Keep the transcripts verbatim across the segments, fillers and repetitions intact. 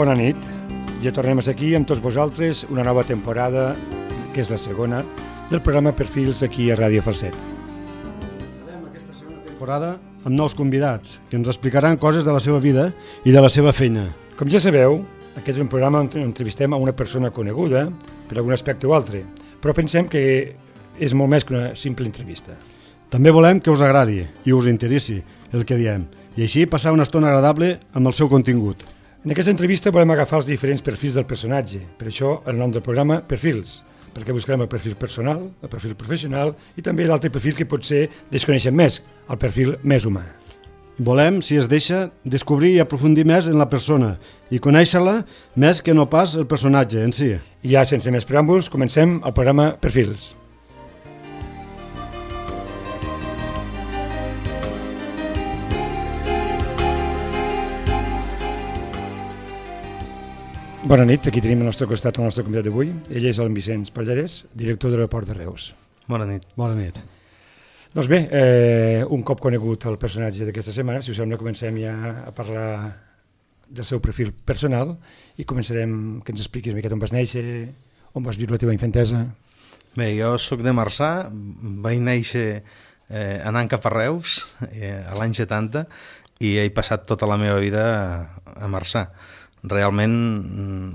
Bona nit, ja tornem a ser aquí amb tots vosaltres, una nova temporada, que és la segona, del programa Perfils aquí a Ràdio Falset. Començarem aquesta segona temporada amb nous convidats, que ens explicaran coses de la seva vida i de la seva feina. Com ja sabeu, aquest és un programa on entrevistem a una persona coneguda per algun aspecte o altre, però pensem que és molt més que una simple entrevista. També volem que us agradi i us interessi el que diem, i així passar una estona agradable amb el seu contingut. En aquesta entrevista volem agafar els diferents perfils del personatge, per això el nom del programa Perfils, perquè buscarem el perfil personal, el perfil professional i també l'altre perfil que potser desconeixem més, el perfil més humà. Volem, si es deixa, descobrir i aprofundir més en la persona i conèixer-la més que no pas el personatge en si. I ja sense més preàmbuls, comencem el programa Perfils. Bona nit, aquí tenim al nostre costat el nostre convidat d'avui. Ell és el Vicenç Pallarès, director de l'aeroport de Reus. Bona nit. Bona nit. Doncs bé, eh, un cop conegut el personatge d'aquesta setmana, si us sembla, comencem ja a parlar del seu perfil personal i començarem que ens expliquis una miqueta on vas néixer, on vas viure la teva infantesa. Bé, jo soc de Marçà, vaig néixer eh, anant cap a Reus eh, a l'any setanta i he passat tota la meva vida a, a Marçà. Realment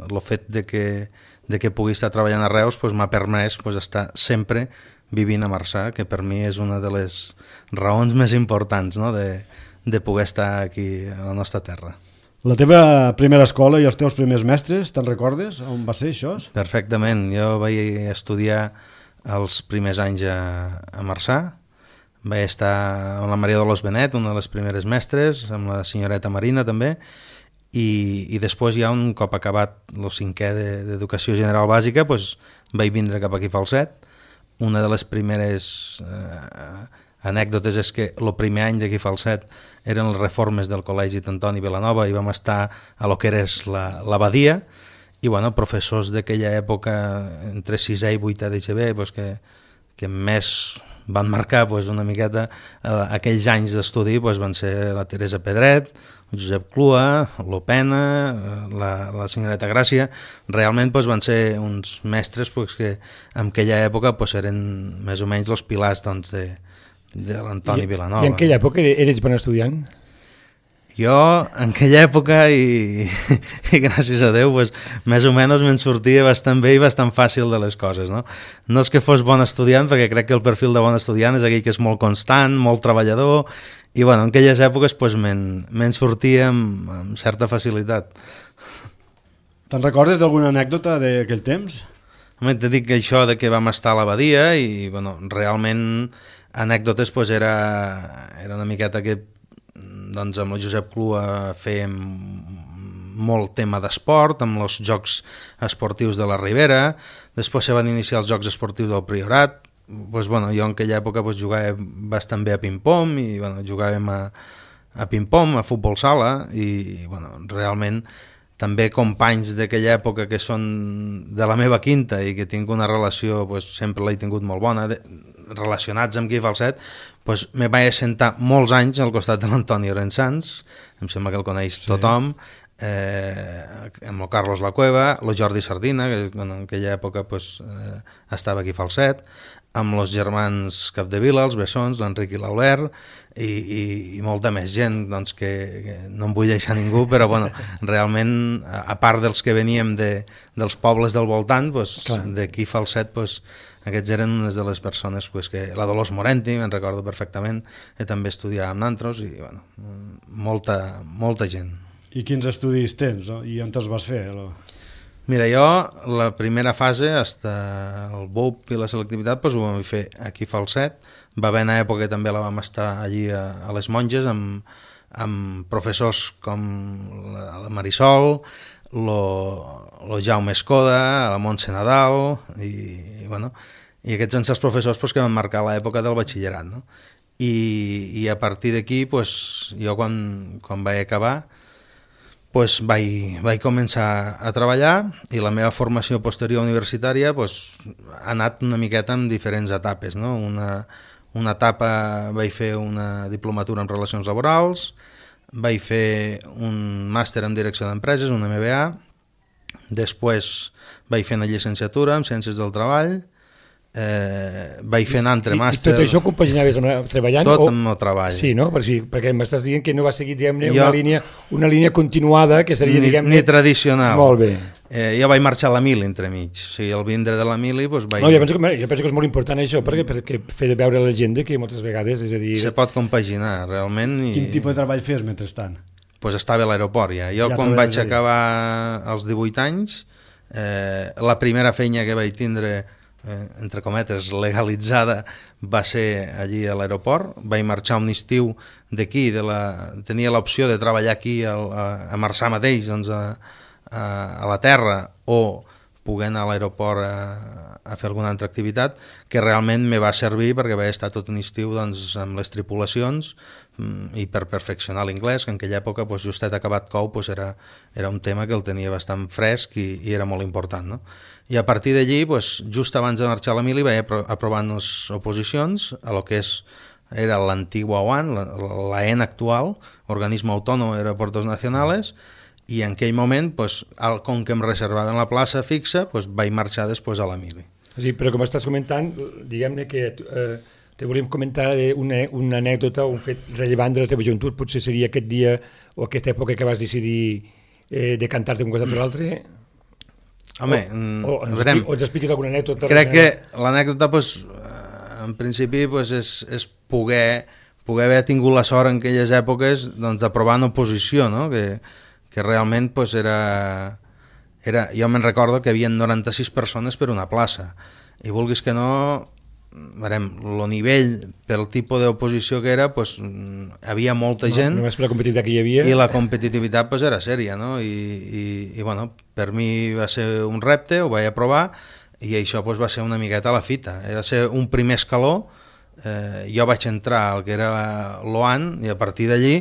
el fet de que, de que pugui estar treballant a Reus pues, m'ha permès pues, estar sempre vivint a Marçà, que per mi és una de les raons més importants, no? de, de poder estar aquí a la nostra terra. La teva primera escola i els teus primers mestres, te'n recordes? On va ser això? Perfectament, jo vaig estudiar els primers anys a, a Marçà, vaig estar amb la Maria Dolors Benet, una de les primeres mestres, amb la senyoreta Marina també, I, i després ja un cop acabat el cinquè d'Educació General Bàsica pues, vaig vindre cap aquí a Falset. Una de les primeres eh, anècdotes és que el primer any d'aquí a Falset eren les reformes del Col·legi d'Antoni Vilanova i vam estar a lo que era l'abadia i bueno, professors d'aquella època entre sisè i vuitè de G B pues, que, que més van marcar pues, una miqueta eh, aquells anys d'estudi pues, van ser la Teresa Pedret, Josep Clua, l'Opena, la, la senyoreta Gràcia. Realment pues, van ser uns mestres pues, que en aquella època pues, eren més o menys els pilars doncs, de, de l'Antoni Vilanova. I en aquella època eres bon estudiant? Jo, en aquella època, i, i gràcies a Déu, pues, més o menys me'n sortia bastant bé i bastant fàcil de les coses. No? no és que fos bon estudiant, perquè crec que el perfil de bon estudiant és aquell que és molt constant, molt treballador, i bueno, en aquelles èpoques pues, me'n me sortia amb, amb certa facilitat. Te'n recordes d'alguna anècdota d'aquell temps? Home, t'he dit que això de que vam estar a l'abadia i bueno, realment anècdotes pues, era, era una miqueta que doncs, amb el Josep Clua fèiem molt tema d'esport, amb els Jocs Esportius de la Ribera, després se van iniciar els Jocs Esportius del Priorat. Pues, bueno, jo en aquella època pues, jugava bastant bé a ping-pong i bueno, jugàvem a, a ping-pong, a futbol sala i bueno, realment també companys d'aquella època que són de la meva quinta i que tinc una relació, pues, sempre l'he tingut molt bona, de, relacionats amb aquí a Falset, pues, me vaig assentar molts anys al costat de l'Antoni Orensans, em sembla que el coneix sí. tothom, eh, amb el Carlos La Cueva, el Jordi Sardina, que bueno, en aquella època pues, eh, estava aquí a Falset, amb els germans Capdevila, els Bessons, l'Enric i l'Albert, i, i, i molta més gent, doncs, que, que no em vull deixar ningú, però bueno, realment, a, a part dels que veníem de, dels pobles del voltant, pues, d'aquí a Falset, pues, aquests eren unes de les persones pues, que la Dolors Morenti, me'n recordo perfectament, que també estudiava amb nantros, i bueno, molta, molta gent. I quins estudis tens, no? I on te'ls vas fer? No? Mira, jo la primera fase, fins el B U P i la selectivitat, doncs ho vam fer aquí a Falset. Va haver una època que també la vam estar allí a, a les Monges, amb, amb professors com la, la Marisol, lo, lo Jaume Escoda, la Montse Nadal, i, i, bueno, i aquests van ser els professors pues, que van marcar l'època del batxillerat. No? I, I a partir d'aquí, pues, jo quan, quan vaig acabar, pues vaig, vaig començar a treballar i la meva formació posterior universitària pues, ha anat una miqueta en diferents etapes. No? Una, una etapa vaig fer una diplomatura en relacions laborals, vaig fer un màster en direcció d'empreses, un M B A, després vaig fer una llicenciatura en Ciències del Treball, eh, vaig fer un altre I, màster... I tot això compaginaves amb, treballant? Tot o... amb el treball. Sí, no? Per si, perquè m'estàs dient que no va seguir, diguem-ne, Jo... una, línia, una línia continuada que seria, ni, diguem-ne... Ni tradicional. Molt bé. Eh, jo vaig marxar a la Mili entremig, o sigui, al vindre de la Mili doncs vaig... No, jo penso, que, jo penso que és molt important això, perquè, perquè fer veure a la gent que moltes vegades, és a dir... Se pot compaginar, realment. I... Quin tipus de treball fes mentrestant? Pues estava a l'aeroport ja. Jo ja quan vaig allà. acabar als divuit anys, eh, la primera feina que vaig tindre, eh, entre cometes, legalitzada, va ser allí a l'aeroport. Vaig marxar un estiu d'aquí, de la... tenia l'opció de treballar aquí a, a, a Marçà mateix, doncs a, a, a la terra, o poder anar a l'aeroport a, a fer alguna altra activitat, que realment me va servir perquè vaig estar tot un estiu doncs, amb les tripulacions i per perfeccionar l'inglès, que en aquella època doncs, justet acabat cou doncs, era, era un tema que el tenia bastant fresc i, i era molt important. No? I a partir d'allí, doncs, just abans de marxar a la Mili, vaig aprovant les oposicions a lo que és, era l'antigua O A N, la, la E N actual, Organismo Autónomo de Aeropuertos Nacionales, i en aquell moment, doncs, com que em reservaven la plaça fixa, doncs, vaig marxar després a la Mili. Sí, però com estàs comentant, diguem-ne que eh, te volíem comentar una, una anècdota o un fet rellevant de la teva joventut, potser seria aquest dia o aquesta època que vas decidir eh, de cantar-te un costat o l'altre. Home, o, o, ens veurem. o ens expliques alguna anècdota. Crec que l'anècdota, doncs, en principi, doncs, és, és poder, poder haver tingut la sort en aquelles èpoques doncs, d'aprovar en oposició, no? que, que realment doncs, era... Era, jo me'n recordo que hi havia noranta-sis persones per una plaça i vulguis que no, veurem, el nivell pel tipus d'oposició que era, pues, havia molta gent, no, només per la competitivitat que hi havia, i la competitivitat pues, era sèria, no? I, i, i bueno, per mi va ser un repte, ho vaig aprovar i això pues, va ser una miqueta a la fita, va ser un primer escaló. Eh, jo vaig entrar al que era l'O A N i a partir d'allí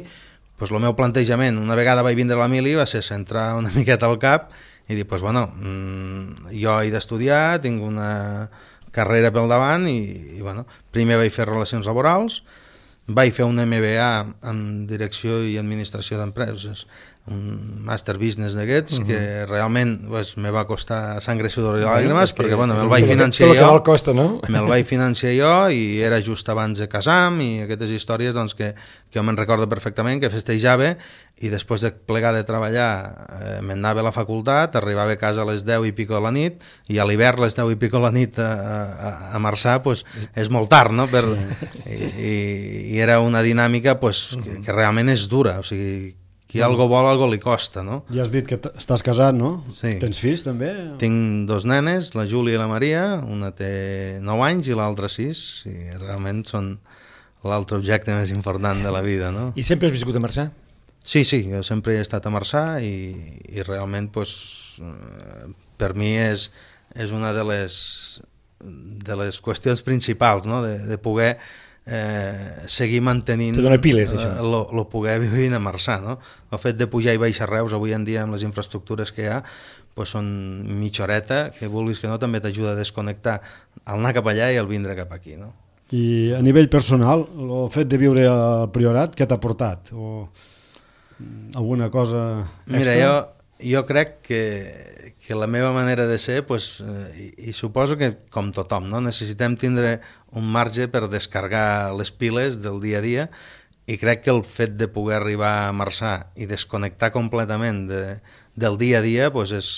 pues, el meu plantejament, una vegada vaig vindre a la Mili, va ser centrar una miqueta al cap i dir, pues, bueno, mmm, jo he d'estudiar, tinc una carrera pel davant i, i bueno, primer vaig fer relacions laborals, vaig fer un M B A en direcció i administració d'empreses, un master business d'aquests, uh-huh. que realment pues, me va costar sangre, sudor i làgrimes, perquè bueno, me'l vaig financiar jo, costa, no? me'l vaig financiar jo i era just abans de casar-me i aquestes històries doncs, que, que jo me'n recordo perfectament, que festejava i després de plegar de treballar eh, m'anava a la facultat, arribava a casa a les deu i pico de la nit i a l'hivern a les deu i pico de la nit a, a, a Marçà pues, és molt tard, no? Per, sí. i, i, i era una dinàmica pues, que, que realment és dura, o sigui, qui algo vol, algo li costa, no? Ja has dit que estàs casat, no? Sí. Tens fills, també? Tinc dos nenes, la Júlia i la Maria, una té nou anys i l'altra sis, i realment són l'altre objecte més important de la vida, no? I sempre has viscut a Marçà? Sí, sí, jo sempre he estat a Marçà i, i realment, pues, per mi és, és una de les, de les qüestions principals, no? De, de poder Eh, seguir mantenint piles, això. Lo, lo poder vivir a Marçà, no? El fet de pujar i baixar Reus avui en dia amb les infraestructures que hi ha pues són mitja horeta, que vulguis que no també t'ajuda a desconnectar al anar cap allà i al vindre cap aquí, no? I a nivell personal, el fet de viure al Priorat, què t'ha portat? O alguna cosa extra? Mira, jo, jo crec que que la meva manera de ser, pues, eh, i, i suposo que com tothom, no? Necessitem tindre un marge per descarregar les piles del dia a dia i crec que el fet de poder arribar a Marçà i desconnectar completament de, del dia a dia pues és,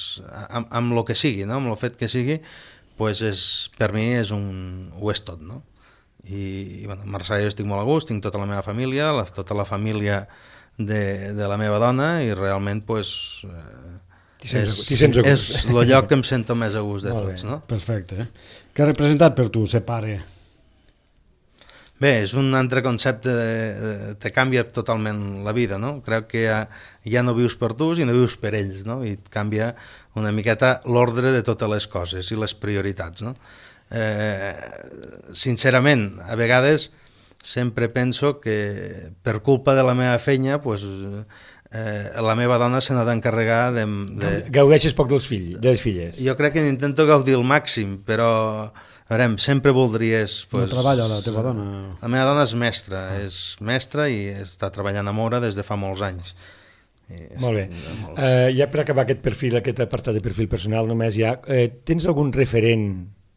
amb, amb el que sigui, no? Amb el fet que sigui, pues és, per mi és un, ho és tot, no? I, i bueno, a Marçà jo estic molt a gust, tinc tota la meva família, la, tota la família de, de la meva dona i realment pues, eh, és, és el lloc que em sento més a gust de tots, no? Perfecte. Eh? Què ha representat per tu ser pare? Bé, és un altre concepte, de, de, te canvia totalment la vida, no? Crec que ja, ja no vius per tu, sinó vius per ells, no? I et canvia una miqueta l'ordre de totes les coses i les prioritats, no? Eh, sincerament, a vegades sempre penso que per culpa de la meva feina, pues, Eh, la meva dona se n'ha d'encarregar de, de... Gaudeixes poc dels fills, de les filles. Jo crec que intento gaudir al màxim, però a veure, sempre voldries... Pues, no treballa la teva dona? La meva dona és mestra, ah. és mestra i està treballant amb Mora des de fa molts anys. I molt bé. Molt... Uh, ja per acabar aquest perfil, aquest apartat de perfil personal, només ja, uh, tens algun referent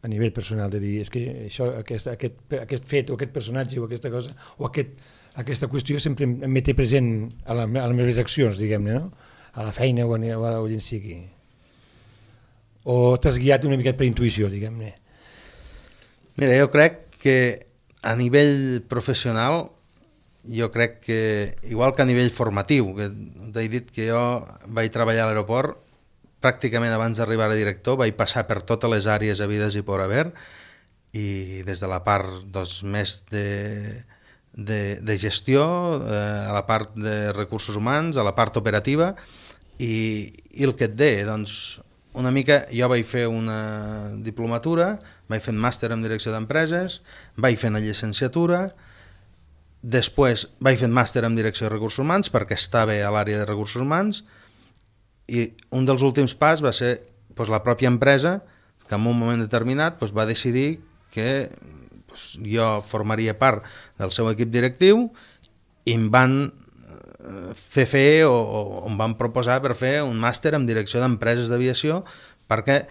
a nivell personal de dir, és que això, aquest, aquest, aquest fet o aquest personatge o aquesta cosa, o aquest, aquesta qüestió sempre em té present a, la, a les meves accions, diguem-ne, no? A la feina o, a, o a on sigui. O t'has guiat una miqueta per intuïció, diguem-ne? Mira, jo crec que a nivell professional, jo crec que, igual que a nivell formatiu, que t'he dit que jo vaig treballar a l'aeroport, pràcticament abans d'arribar a director vaig passar per totes les àrees havides i por haver, i des de la part doncs, més de... De, de gestió, eh, a la part de recursos humans, a la part operativa, i, i el que et deia, doncs, una mica, jo vaig fer una diplomatura, vaig fer un màster en direcció d'empreses, vaig fer una llicenciatura, després vaig fer un màster en direcció de recursos humans perquè estava a l'àrea de recursos humans, i un dels últims pas va ser doncs, la pròpia empresa que en un moment determinat doncs, va decidir que jo formaria part del seu equip directiu i em van fer fer o, o em van proposar per fer un màster en direcció d'empreses d'aviació perquè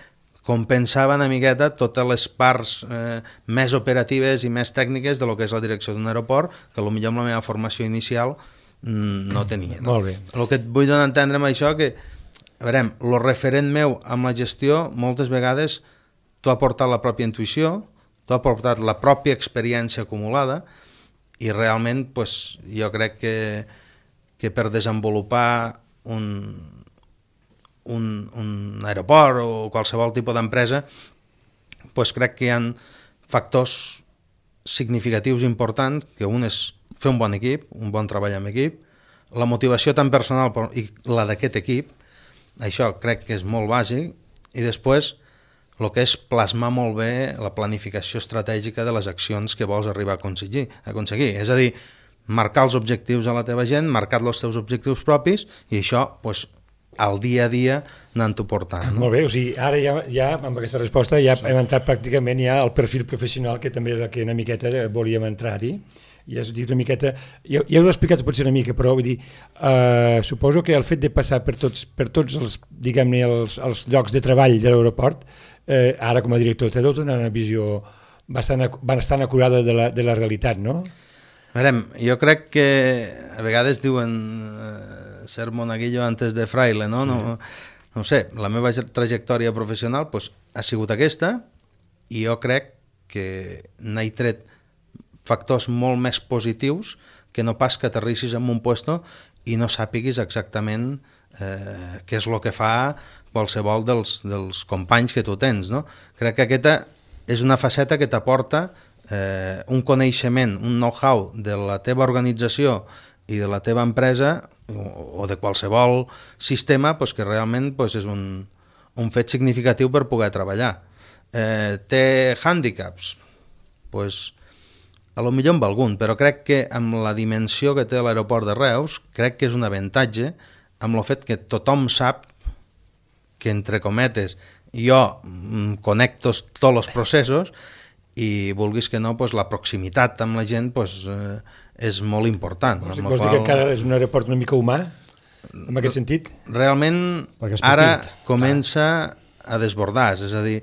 compensava una miqueta totes les parts eh, més operatives i més tècniques de lo que és la direcció d'un aeroport que potser amb la meva formació inicial mm, no tenia. No? Molt bé. El que et vull donar a entendre amb això que, a veure, el referent meu amb la gestió moltes vegades t'ho ha portat la pròpia intuïció, t'ho ha portat la pròpia experiència acumulada i realment pues, jo crec que, que per desenvolupar un, un, un aeroport o qualsevol tipus d'empresa pues, crec que hi ha factors significatius importants, que un és fer un bon equip, un bon treball amb equip, la motivació tan personal i la d'aquest equip, això crec que és molt bàsic, i després el que és plasmar molt bé la planificació estratègica de les accions que vols arribar a aconseguir. A aconseguir. És a dir, marcar els objectius a la teva gent, marcar els teus objectius propis i això, pues, al dia a dia anant-ho portant. No? Molt bé, o sigui, ara ja, ja amb aquesta resposta ja hem entrat pràcticament ja al perfil professional que també és el que una miqueta volíem entrar-hi. I has dit una miqueta, ja, ja ho he explicat potser una mica, però vull dir, eh, suposo que el fet de passar per tots, per tots els, diguem-ne, els, els llocs de treball de l'aeroport, eh, ara com a director t'ha donat una visió bastant, bastant acurada de la, de la realitat, no? Mirem, jo crec que a vegades diuen eh, ser monaguillo antes de fraile, no? Sí. No, no sé, la meva trajectòria professional pues, ha sigut aquesta i jo crec que n'he tret factors molt més positius que no pas que aterrissis en un puesto i no sàpiguis exactament eh, què és el que fa qualsevol dels, dels companys que tu tens. No? Crec que aquesta és una faceta que t'aporta eh, un coneixement, un know-how de la teva organització i de la teva empresa o, o de qualsevol sistema pues, que realment pues, és un, un fet significatiu per poder treballar. Eh, té hàndicaps? Pues, a lo millor amb algun, però crec que amb la dimensió que té l'aeroport de Reus, crec que és un avantatge amb el fet que tothom sap que, entre cometes, jo connecto tots els processos i vulguis que no, pues, la proximitat amb la gent pues, eh, és molt important. Vols, vols qual... dir que encara és un aeroport una mica humà, en aquest sentit? Realment, ara comença a desbordar, és a dir,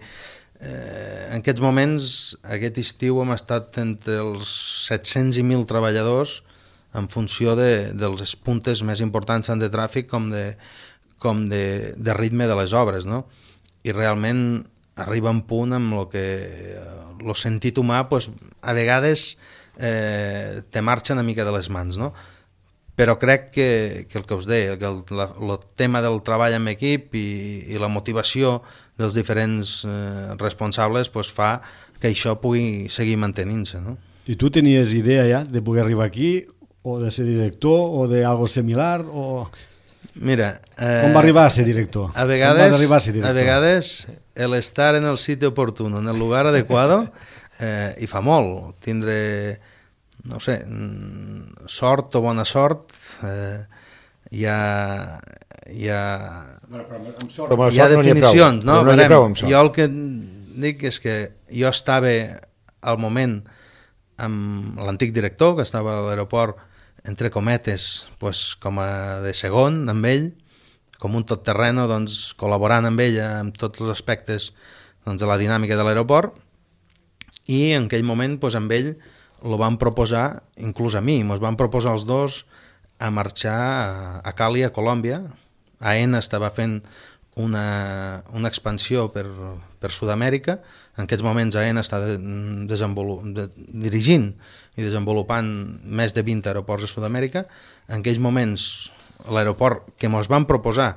Eh, en aquests moments, aquest estiu hem estat entre els set-cents i mil treballadors en funció de, dels puntes més importants tant de tràfic com de, com de, de ritme de les obres, no? I realment arriba un punt amb el que el sentit humà pues, a vegades eh, te marxa una mica de les mans, no? Però crec que, que el que us deia, que el, la, el tema del treball en equip i, i la motivació dels diferents eh, responsables pues, fa que això pugui seguir mantenint-se. No? I tu tenies idea ja de poder arribar aquí, o de ser director, o de algo similar, o... Mira... Eh, Com va arribar a ser director? A vegades, a, ser director? a vegades el estar en el sitio oportuno, en el lugar adecuado, eh, i fa molt. Tindre... no sé, sort o bona sort, eh, hi ha... Hi ha, bueno, però amb sort, hi ha definicions, no? no? Verem, jo el que dic és que jo estava al moment amb l'antic director, que estava a l'aeroport, entre cometes, pues, com a de segon amb ell, com un totterreno, doncs, col·laborant amb ell en tots els aspectes doncs, de la dinàmica de l'aeroport, i en aquell moment pues, amb ell lo van proposar, inclús a mi, ens van proposar els dos a marxar a, a Cali, a Colòmbia. AENA estava fent una, una expansió per, per Sud-amèrica. En aquests moments AENA està de, de, dirigint i desenvolupant més de vint aeroports a Sud-amèrica. En aquells moments l'aeroport que ens van proposar,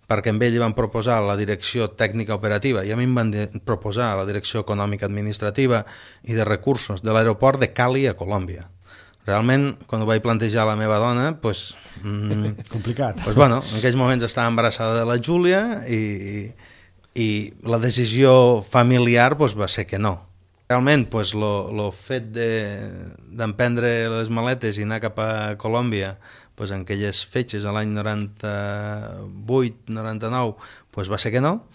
perquè amb ell van proposar la direcció tècnica operativa i a mi em van proposar la direcció econòmica administrativa i de recursos de l'aeroport de Cali a Colòmbia. Realment, quan ho vaig plantejar a la meva dona, pues, mm, complicat. Pues, bueno, en aquells moments estava embarassada de la Júlia i, i la decisió familiar pues, va ser que no. Realment, pues, lo, lo fet d'emprendre de, les maletes i anar cap a Colòmbia pues, en aquelles fetges a l'any noranta-vuit noranta-nou pues, va ser que no.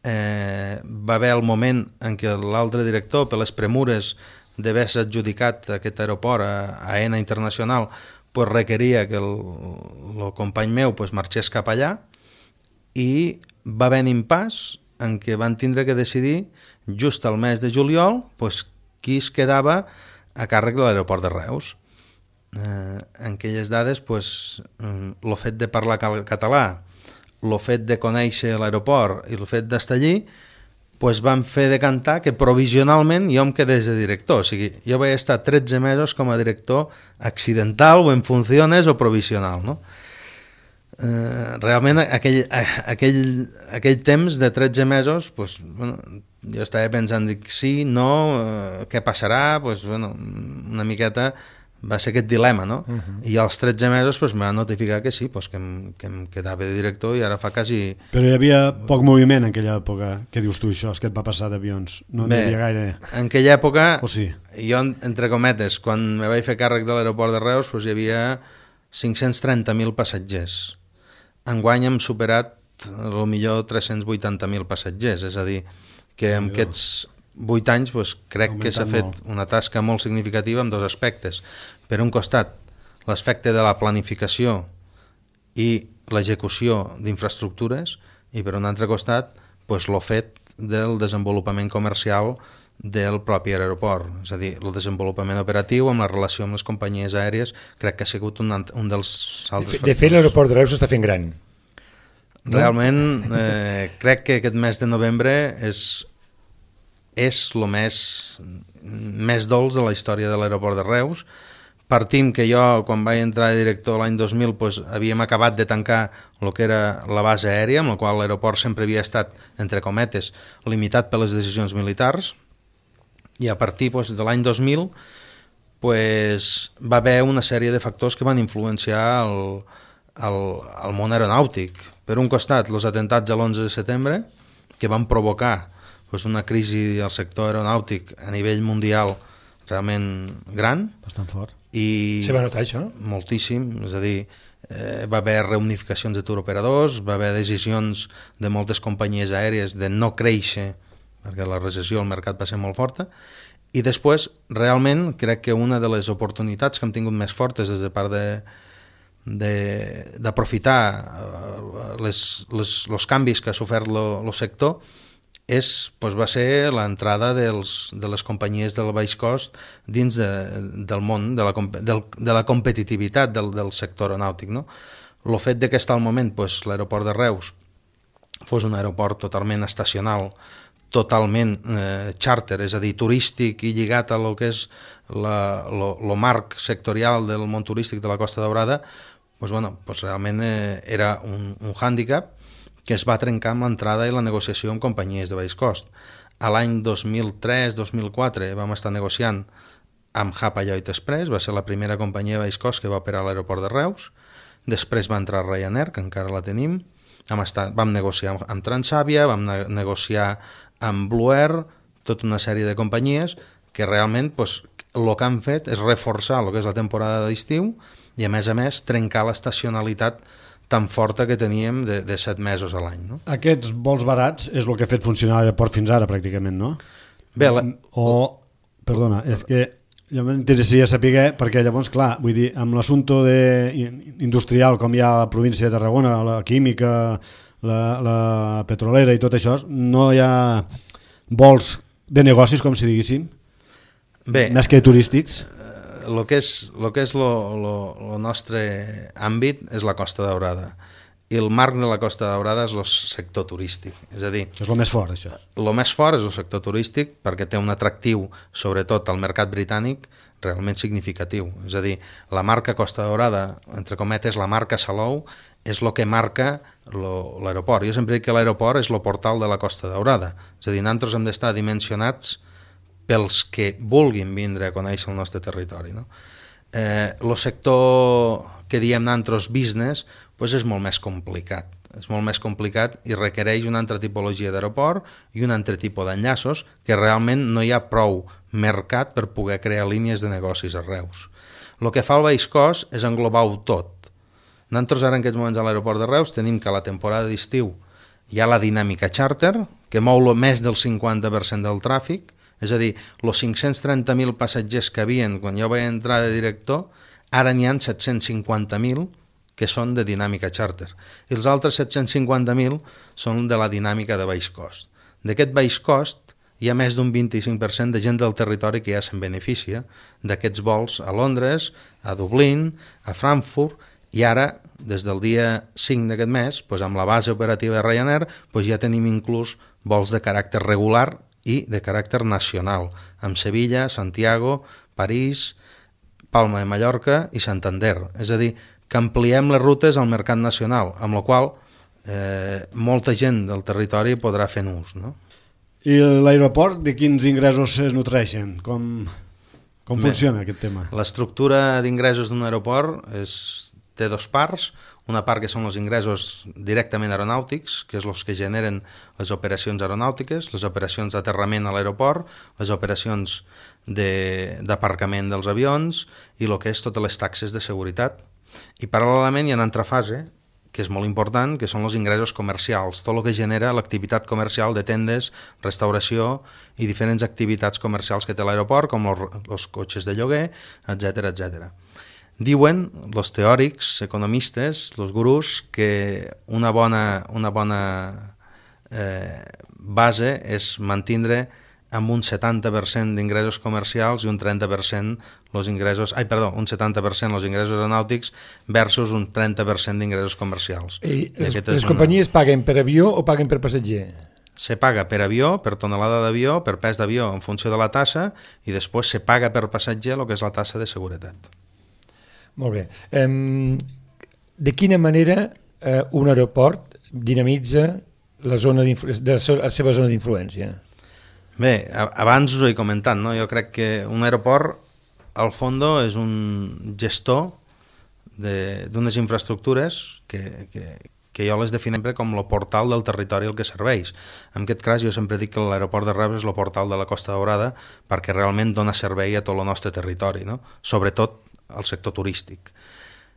Eh, va haver el moment en què l'altre director, per les premures d'haver-se adjudicat aquest aeroport a, a AENA Internacional, pues, requeria que el, el company meu pues, marxés cap allà, i va haver un impàs en què van tindre que decidir just al mes de juliol pues, qui es quedava a càrrec de l'aeroport de Reus. Eh, en aquelles dades pues, el fet de parlar català, el fet de conèixer l'aeroport i el fet d'estar allí pues, van fer decantar que provisionalment jo em quedés de director. O sigui, jo vaig estar tretze mesos com a director accidental o en funciones o provisional, no? Eh, realment aquell, aquell, aquell temps de tretze mesos pues, bueno, jo estava pensant, dic, sí, no, eh, què passarà? Pues, bueno, una miqueta va ser aquest dilema, no? Uh -huh. I als tretze mesos pues, em van notificar que sí, pues, que, em, que em quedava de director i ara fa quasi... Però hi havia poc moviment en aquella època. Què dius tu, això? És que et va passar d'avions. No n'hi havia gaire... En aquella època, o sí? Jo, entre cometes, quan me vaig fer càrrec de l'aeroport de Reus, pues, hi havia cinc-cents trenta mil passatgers. Enguany hem superat potser tres-cents vuitanta mil passatgers, és a dir, que en aquests vuit anys pues, crec que s'ha fet molt. Una tasca molt significativa en dos aspectes. Per un costat, l'aspecte de la planificació i l'execució d'infraestructures, i per un altre costat, pues, el fet del desenvolupament comercial del propi aeroport, és a dir, el desenvolupament operatiu amb la relació amb les companyies aèries, crec que ha sigut un, un dels altres factors. De fet, l'aeroport de Reus s'està fent gran. Realment, eh, crec que aquest mes de novembre és és el més, més dolç de la història de l'aeroport de Reus. Partim que jo, quan vaig entrar de director l'any dos mil, pues, havíem acabat de tancar el que era la base aèria, amb la qual l'aeroport sempre havia estat, entre cometes, limitat per les decisions militars, i a partir pues, de l'any dos mil pues, va haver una sèrie de factors que van influenciar el, el, el món aeronàutic. Per un costat, els atentats de l'onze de setembre, que van provocar pues, una crisi al sector aeronàutic a nivell mundial realment gran. Bastant fort. I se va notar això? Moltíssim, és a dir, eh, va haver reunificacions de turoperadors, va haver decisions de moltes companyies aèries de no créixer, perquè la recessió al mercat va ser molt forta, i després, realment, crec que una de les oportunitats que hem tingut més fortes des de part de d'aprofitar les, les, els canvis que ha sofert el sector és, doncs va ser l'entrada de les companyies del baix cost dins de, del món, de la, del, de la competitivitat del, del sector aeronàutic. No? El fet de que està al moment doncs, l'aeroport de Reus fos un aeroport totalment estacional, totalment eh, charter, és a dir, turístic i lligat a lo que és el marc sectorial del món turístic de la Costa Daurada, doncs, bueno, doncs realment eh, era un, un hàndicap que es va trencar amb l'entrada i la negociació amb companyies de baix cost. A l'any dos mil tres dos mil quatre vam estar negociant amb Hapa Lloyd Express, va ser la primera companyia de baix cost que va operar a l'aeroport de Reus, després va entrar Ryanair, que encara la tenim, vam, estar, vam negociar amb Transavia, vam ne negociar amb Blue Air, tota una sèrie de companyies que realment doncs, el que han fet és reforçar el que és la temporada d'estiu i a més a més trencar l'estacionalitat tan forta que teníem de, de set mesos a l'any. No? Aquests vols barats és el que ha fet funcionar l'aeroport fins ara, pràcticament, no? Bé, la... O, perdona, és que jo m'interessaria saber, perquè llavors, clar, vull dir, amb l'assumpte industrial, com hi ha a la província de Tarragona, la química, la, la petrolera i tot això, no hi ha vols de negocis, com si diguéssim, Bé, més que turístics. El que és el que és el nostre àmbit és la Costa Daurada, i el marc de la Costa Daurada és el sector turístic, és a dir... És el més fort, això. El més fort és el sector turístic perquè té un atractiu, sobretot al mercat britànic, realment significatiu. És a dir, la marca Costa Daurada, entre cometes, la marca Salou, és el que marca l'aeroport. Jo sempre dic que l'aeroport és el portal de la Costa Daurada. És a dir, nosaltres hem d'estar dimensionats pels que vulguin vindre a conèixer el nostre territori. No? Eh, el sector que diem nosaltres business pues és molt més complicat. És molt més complicat i requereix una altra tipologia d'aeroport i un altre tipus d'enllaços que realment no hi ha prou mercat per poder crear línies de negocis a Reus. El que fa el Baix Cos és englobar-ho tot. Nosaltres ara en aquests moments a l'aeroport de Reus tenim que a la temporada d'estiu hi ha la dinàmica charter, que mou més del cinquanta per cent del tràfic, és a dir, els cinc-cents trenta mil passatgers que havien quan jo vaig entrar de director, ara n'hi ha set-cents cinquanta mil que són de dinàmica charter, i els altres set-cents cinquanta mil són de la dinàmica de baix cost. D'aquest baix cost hi ha més d'un vint-i-cinc per cent de gent del territori que ja se'n beneficia d'aquests vols a Londres, a Dublín, a Frankfurt, i ara, des del dia cinc d'aquest mes, doncs amb la base operativa de Ryanair, doncs ja tenim inclús vols de caràcter regular i de caràcter nacional, amb Sevilla, Santiago, París, Palma de Mallorca i Santander. És a dir, que ampliem les rutes al mercat nacional, amb la qual eh, molta gent del territori podrà fer ús. No? I l'aeroport, de quins ingressos es nutreixen? Com, com Bé, funciona aquest tema? L'estructura d'ingressos d'un aeroport és, té dos parts. Una part que són els ingressos directament aeronàutics, que és els que generen les operacions aeronàutiques, les operacions d'aterrament a l'aeroport, les operacions d'aparcament de, dels avions i el que és totes les taxes de seguretat. I paral·lelament hi ha una altra fase, que és molt important, que són els ingressos comercials, tot el que genera l'activitat comercial de tendes, restauració i diferents activitats comercials que té l'aeroport, com els cotxes de lloguer, etcètera, etcètera. Diuen els teòrics, economistes, els gurús, que una bona, una bona eh, base és mantindre amb un setanta per cent d'ingressos comercials i un trenta per cent los ingressos, ai, perdó, un setanta per cent els ingressos aeronàutics versus un trenta per cent d'ingressos comercials. I les, les companyies una... paguen per avió o paguen per passatger? Se paga per avió, per tonelada d'avió, per pes d'avió en funció de la tassa, i després se paga per passatger el que és la tassa de seguretat. Molt bé. Um, de quina manera uh, un aeroport dinamitza la, zona de la seva zona d'influència? Bé, abans us ho he comentat, no? Jo crec que un aeroport, al fondo, és un gestor d'unes infraestructures que, que, que jo les definim com el portal del territori al que serveix. En aquest cas, jo sempre dic que l'aeroport de Reus és el portal de la Costa Daurada perquè realment dona servei a tot el nostre territori, no? Sobretot al sector turístic.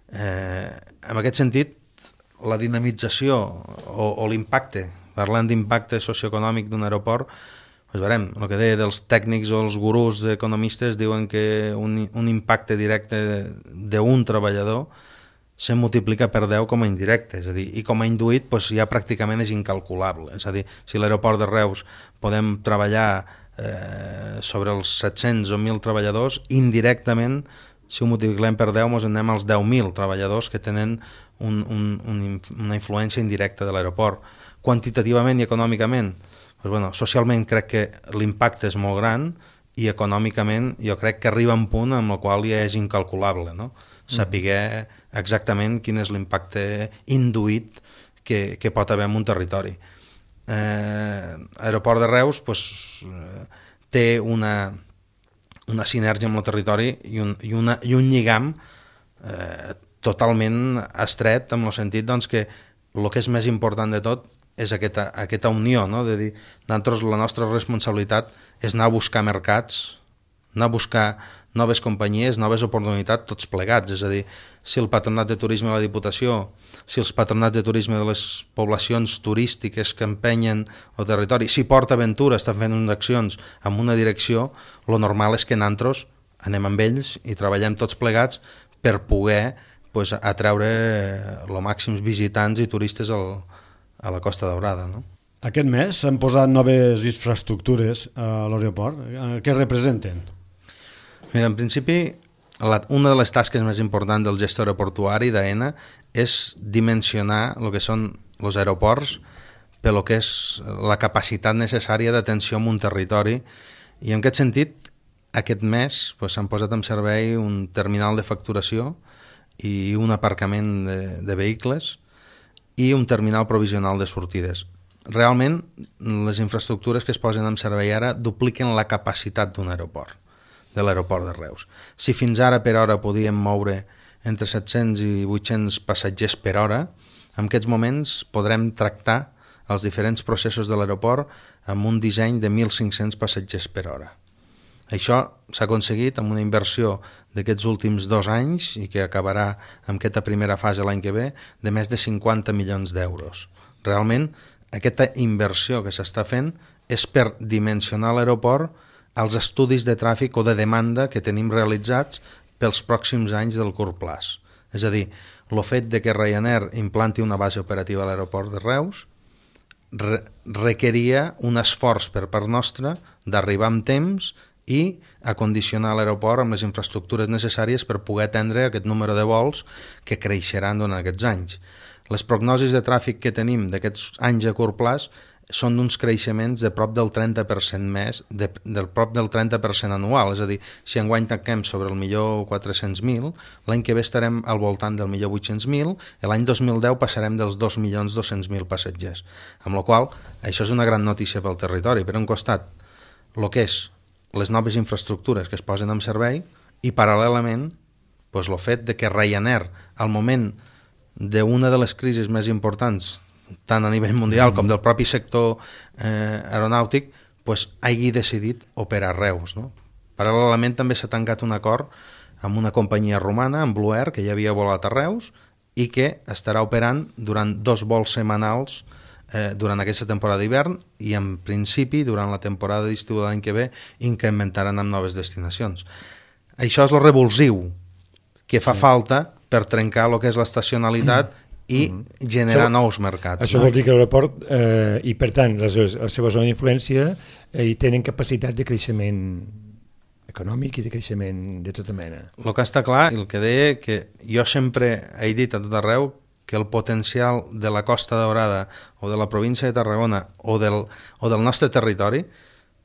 Eh, en aquest sentit, la dinamització o, o l'impacte, parlant d'impacte socioeconòmic d'un aeroport, pues veurem, el que deia dels tècnics o els gurús economistes diuen que un, un impacte directe d'un treballador se multiplica per deu com a indirecte, és a dir, i com a induït pues, ja pràcticament és incalculable. És a dir, si l'aeroport de Reus podem treballar eh, sobre els set-cents o mil treballadors, indirectament, si ho multipliquem per deu, ens anem als deu mil treballadors que tenen un, un, un, una influència indirecta de l'aeroport. Quantitativament i econòmicament, pues bueno, socialment crec que l'impacte és molt gran i econòmicament jo crec que arriba a un punt amb el qual ja és incalculable, no? Saber exactament quin és l'impacte induït que, que pot haver en un territori. Eh, Aeroport de Reus pues, eh, té una, una sinergia amb el territori i un, i una, i un lligam eh, totalment estret, en el sentit doncs, que el que és més important de tot és aquesta, aquesta unió, no? De dir, nosaltres la nostra responsabilitat és anar a buscar mercats, anar a buscar noves companyies, noves oportunitats, tots plegats. És a dir, si el Patronat de Turisme de la Diputació, si els patronats de turisme de les poblacions turístiques que empenyen el territori, si Port Aventura estan fent unes accions amb una direcció, lo normal és que nosaltres anem amb ells i treballem tots plegats per poder pues, atreure els màxims visitants i turistes al, a la Costa Daurada, no? Aquest mes s'han posat noves infraestructures a l'aeroport. Què representen? Mira, en principi, la, una de les tasques més importants del gestor aeroportuari d'AENA és dimensionar el que són els aeroports per lo que és la capacitat necessària d'atenció en un territori, i en aquest sentit aquest mes pues, s'han posat en servei un terminal de facturació i un aparcament de, de vehicles i un terminal provisional de sortides. Realment, les infraestructures que es posen en servei ara dupliquen la capacitat d'un aeroport, de l'aeroport de Reus. Si fins ara per hora podíem moure entre set-cents i vuit-cents passatgers per hora, en aquests moments podrem tractar els diferents processos de l'aeroport amb un disseny de mil cinc-cents passatgers per hora. Això s'ha aconseguit amb una inversió d'aquests últims dos anys i que acabarà amb aquesta primera fase l'any que ve de més de cinquanta milions d'euros. Realment, aquesta inversió que s'està fent és per dimensionar l'aeroport als estudis de tràfic o de demanda que tenim realitzats pels pròxims anys del curt plaç. És a dir, el fet de que Ryanair implanti una base operativa a l'aeroport de Reus re requeria un esforç per part nostra d'arribar amb temps i acondicionar l'aeroport amb les infraestructures necessàries per poder atendre aquest número de vols que creixeran durant aquests anys. Les prognosis de tràfic que tenim d'aquests anys a curt plaç són d'uns creixements de prop del trenta per cent més, de, del prop del trenta per cent anual, és a dir, si enguany tanquem sobre el millor quatre-cents mil, l'any que ve estarem al voltant del millor vuit-cents mil, i l'any dos mil deu passarem dels dos milions dos-cents mil passatgers. Amb la qual cosa, això és una gran notícia pel territori. Per un costat, el que és les noves infraestructures que es posen en servei i, paral·lelament, doncs, el fet de que Ryanair, al moment d'una de les crisis més importants tant a nivell mundial com del propi sector eh, aeronàutic, pues, hagi decidit operar a Reus, no? Paral·lelament també s'ha tancat un acord amb una companyia romana, amb Blue Air, que ja havia volat a Reus i que estarà operant durant dos vols setmanals eh, durant aquesta temporada d'hivern i en principi durant la temporada d'estiu de l'any que ve incrementaran amb noves destinacions. Això és el revulsiu que fa sí. falta per trencar el que és l'estacionalitat i mm-hmm. generar això, nous mercats. Això no? Vol dir que l'aeroport, eh, i per tant la, la seva zona d'influència, eh, hi tenen capacitat de creixement econòmic i de creixement de tota mena. El que està clar, el que deia, que jo sempre he dit a tot arreu que el potencial de la Costa Daurada o de la província de Tarragona o del, o del nostre territori,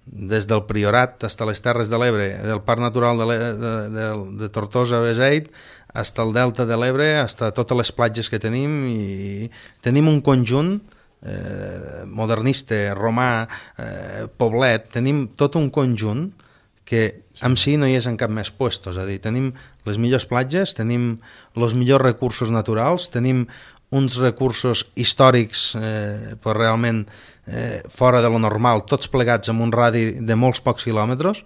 des del Priorat fins a les Terres de l'Ebre, del Parc Natural de, de, de, de Tortosa-Beseit, fins al Delta de l'Ebre, fins a totes les platges que tenim, i tenim un conjunt eh, modernista, romà, eh, poblet, tenim tot un conjunt que en si no hi és en cap més puesto, és a dir, tenim les millors platges, tenim els millors recursos naturals, tenim uns recursos històrics eh, però realment eh, fora de lo normal, tots plegats amb un radi de molts pocs quilòmetres.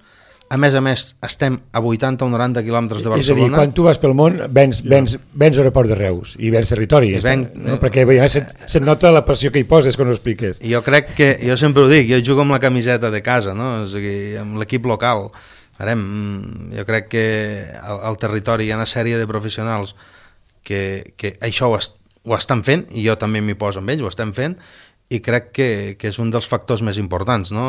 A més a més, estem a vuitanta o noranta quilòmetres de Barcelona. És a dir, quan tu vas pel món, vens, vens, vens l'aeroport de Reus i vens territori. I ven, no? Perquè ja se't, se't nota la passió que hi poses quan ho expliques. Jo crec que, jo sempre ho dic, jo jugo amb la camiseta de casa, no? És a dir, amb l'equip local. Farem, jo crec que al, al territori hi ha una sèrie de professionals que, que això ho, est, ho estan fent, i jo també m'hi poso amb ells, ho estem fent, i crec que, que és un dels factors més importants, no?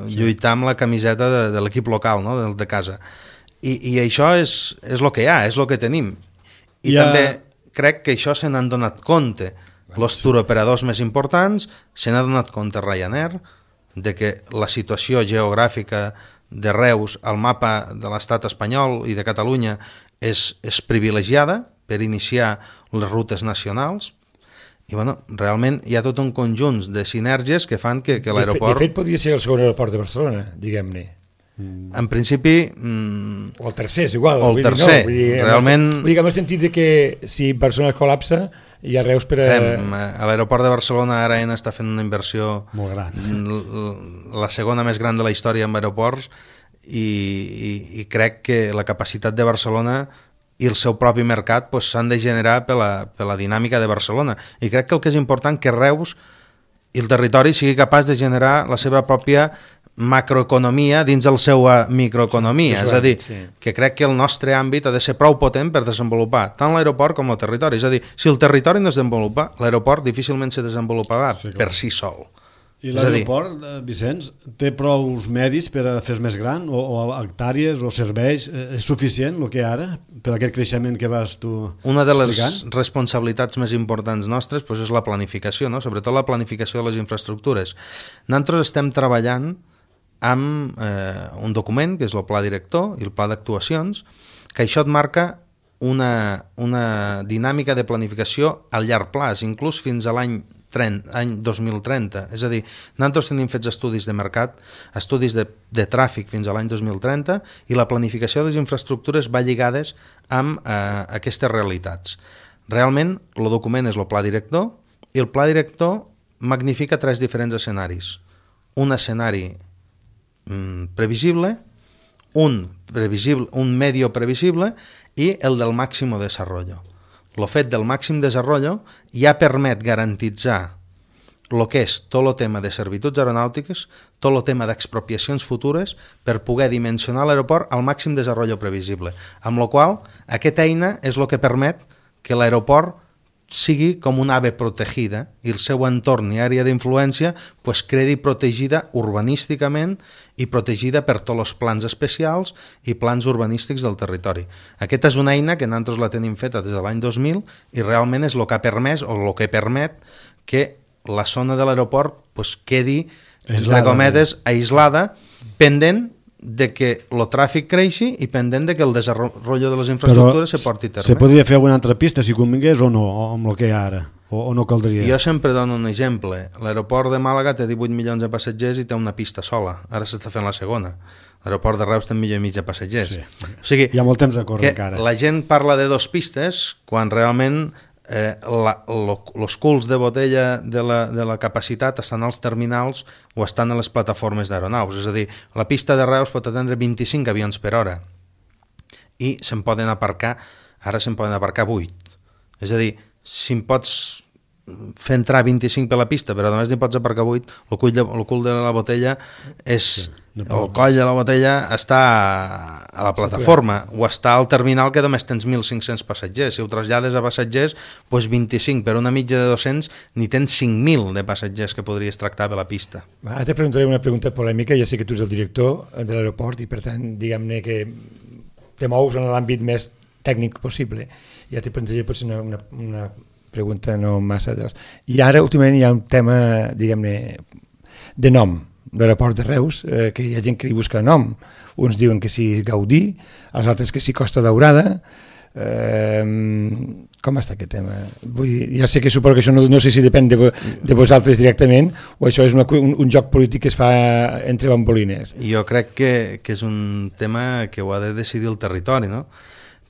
Sí. Lluitar amb la camiseta de, de l'equip local, no? Del de casa. I, i això és, és el que hi ha, és el que tenim. I ja... també crec que això se n'han donat compte. Els sí. turoperadors més importants se n'ha donat compte Ryanair de que la situació geogràfica de Reus al mapa de l'estat espanyol i de Catalunya és, és privilegiada per iniciar les rutes nacionals. I bueno, realment hi ha tot un conjunt de sinergies que fan que, que l'aeroport... De fet, podria ser el segon aeroport de Barcelona, diguem-ne. En principi... Mm, o el tercer, és igual. O el tercer, dir, no, vull dir, realment... Vull dir que en el sentit de que si Barcelona es col·lapsa, hi ha Reus per a... Fem, a l'aeroport de Barcelona ara AENA està fent una inversió... Molt gran. La segona més gran de la història en aeroports, i, i, i crec que la capacitat de Barcelona i el seu propi mercat pues, s'han de generar per la, per la dinàmica de Barcelona. I crec que el que és important que Reus i el territori sigui capaç de generar la seva pròpia macroeconomia dins de la seva microeconomia. És a dir, sí. que crec que el nostre àmbit ha de ser prou potent per desenvolupar tant l'aeroport com el territori. És a dir, si el territori no es desenvolupa, l'aeroport difícilment se desenvoluparà sí, per si sol. I l'aeroport, Vicenç, té prou medis per a fer més gran o, o hectàrees o serveis? És suficient el que ara per aquest creixement que vas tu Una de les explicant? responsabilitats més importants nostres pues, és la planificació, no? Sobretot la planificació de les infraestructures. Nosaltres estem treballant amb eh, un document que és el pla director i el pla d'actuacions, que això et marca una, una dinàmica de planificació a llarg plaç, inclús fins a l'any any dos mil trenta, és a dir, nosaltres tenim fets estudis de mercat, estudis de, de tràfic fins a l'any dos mil trenta i la planificació de les infraestructures va lligades amb eh, aquestes realitats. Realment, el document és el pla director i el pla director magnifica tres diferents escenaris. Un escenari mm, previsible, un, previsible, un medio previsible i el del màxim desenvolupament. El fet del màxim desenvolupament ja permet garantitzar el que és tot el tema de servituds aeronàutiques, tot el tema d'expropiacions futures per poder dimensionar l'aeroport al màxim desenvolupament previsible. Amb la qual cosa, aquesta eina és el que permet que l'aeroport sigui com una ave protegida i el seu entorn i àrea d'influència pues, quedi protegida urbanísticament i protegida per tots els plans especials i plans urbanístics del territori. Aquesta és una eina que nosaltres la tenim feta des de l'any dos mil i realment és el que ha permès o el que permet que la zona de l'aeroport pues, quedi, entre cometes, aislada, pendent de que el tràfic creixi i pendent de que el desenvolupament de les infraestructures Però se porti a terme. Se podria fer alguna altra pista si convingués o no, o amb el que hi ha ara? O, o no caldria? Jo sempre dono un exemple. L'aeroport de Màlaga té divuit milions de passatgers i té una pista sola. Ara s'està fent la segona. L'aeroport de Reus té un milió i mig de passatgers. Sí. O sigui, hi ha molt temps de córrer encara. La gent parla de dos pistes quan realment eh, els culs de botella de la, de la capacitat estan als terminals o estan a les plataformes d'aeronaus. És a dir, la pista de Reus pot atendre vint-i-cinc avions per hora i se'n poden aparcar, ara se'n poden aparcar vuit. És a dir, si em pots fer entrar vint-i-cinc per la pista, però només n'hi pots aparcar vuit, el cul de, el cul de la botella és... Sí, no el coll de la botella està a la plataforma o està al terminal que només tens mil cinc-cents passatgers. Si ho trasllades a passatgers, doncs vint-i-cinc per una mitja de dos-cents, ni tens cinc mil de passatgers que podries tractar per la pista. Ara te preguntaré una pregunta polèmica. Ja sé que tu ets el director de l'aeroport i per tant, diguem-ne que te mous en l'àmbit més tècnic possible. Ja te plantejaré potser una, una, una pregunta no massa... I ara, últimament, hi ha un tema, diguem-ne, de nom, l'aeroport de Reus, eh, que hi ha gent que li busca nom. Uns diuen que sí Gaudí, els altres que sí Costa Daurada. Eh, com està aquest tema? Vull, ja sé que suposo que això no, no sé si depèn de, de vosaltres directament o això és una, un, un joc polític que es fa entre bambolines. Jo crec que, que és un tema que ho ha de decidir el territori, no?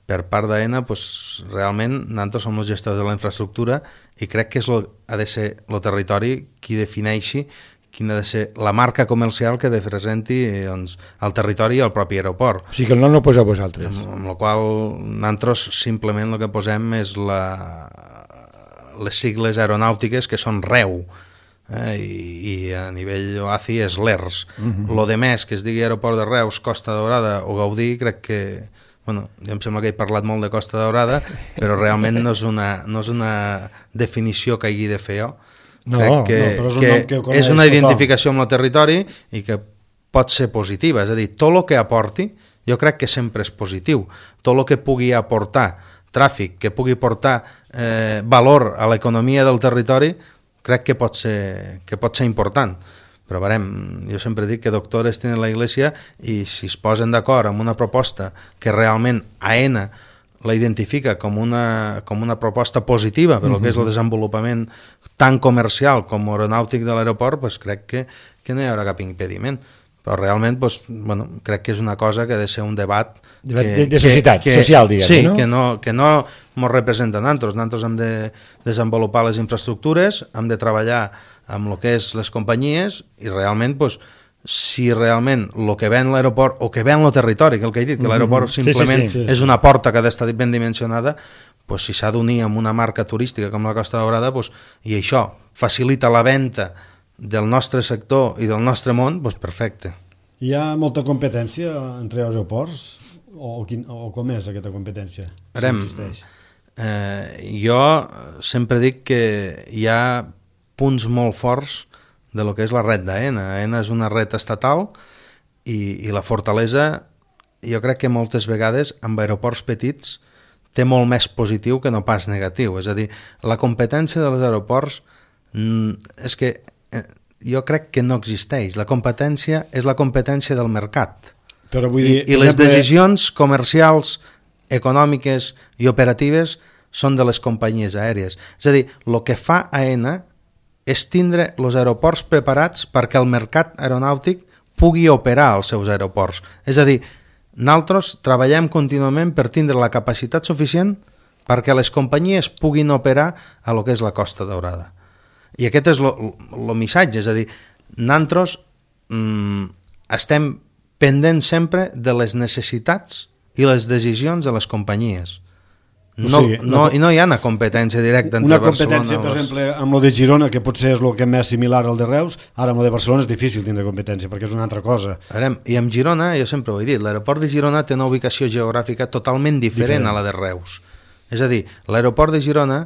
Per part d'AENA, pues, realment nosaltres som els gestors de la infraestructura i crec que és lo, ha de ser el territori qui defineixi quina ha de ser la marca comercial que representi doncs, el territori i el propi aeroport. O sigui que el nom no ho poseu vosaltres. Amb, amb la qual nosaltres simplement el que posem és la, les sigles aeronàutiques que són REU, eh, i, i a nivell O A C I és l'E R S. Uh-huh. Lo de més que es digui Aeroport de Reus, Costa Daurada o Gaudí, crec que... Bueno, jo em sembla que he parlat molt de Costa Daurada, però realment no és una, no és una definició que hagi de fer jo. No, crec que, no, però és, un que que és una identificació amb el territori i que pot ser positiva. És a dir, tot el que aporti, jo crec que sempre és positiu. Tot el que pugui aportar tràfic, que pugui portar eh, valor a l'economia del territori, crec que pot ser, que pot ser important. Però veurem, jo sempre dic que doctores tenen la Iglesia i si es posen d'acord amb una proposta que realment AENA la identifica com una, com una proposta positiva per uh-huh. que és el desenvolupament tant comercial com aeronàutic de l'aeroport, pues crec que, que no hi haurà cap impediment. Però realment pues, bueno, crec que és una cosa que ha de ser un debat... debat que, de, de societat, que, social, diguem, sí, no? Sí, que no, que no ens representa a nosaltres. Nosaltres hem de desenvolupar les infraestructures, hem de treballar amb el que és les companyies i realment pues, si realment el que ven l'aeroport o que ven el territori, que el que he dit, que l'aeroport Sí, simplement sí, sí, sí, és sí. una porta que ha d'estar ben dimensionada, pues, si s'ha d'unir amb una marca turística com la Costa Daurada, pues, i això facilita la venda del nostre sector i del nostre món, pues, perfecte. Hi ha molta competència entre aeroports? O, quin, o com és aquesta competència? Verem, Si existeix? eh, jo sempre dic que hi ha punts molt forts de lo que és la red d'AENA. AENA és una red estatal i, i la fortalesa, jo crec que moltes vegades amb aeroports petits té molt més positiu que no pas negatiu. És a dir, la competència dels aeroports mm, és que eh, jo crec que no existeix. La competència és la competència del mercat. Però vull I, dir, i per les exemple, decisions comercials, econòmiques i operatives són de les companyies aèries. És a dir, el que fa AENA és tindre els aeroports preparats perquè el mercat aeronàutic pugui operar als seus aeroports. És a dir, nosaltres treballem contínuament per tindre la capacitat suficient perquè les companyies puguin operar a lo que és la Costa Daurada. I aquest és el missatge, és a dir, nosaltres mm, estem pendents sempre de les necessitats i les decisions de les companyies. No, O sigui, no, no- I no hi ha una competència directa entre una Barcelona... competència, per les- exemple, amb lo de Girona, que potser és el que és més similar al de Reus, ara amb lo de Barcelona és difícil tindre competència, perquè és una altra cosa. Veurem, i amb Girona, jo sempre ho he dit, l'aeroport de Girona té una ubicació geogràfica totalment diferent, Diferent. a la de Reus. És a dir, l'aeroport de Girona,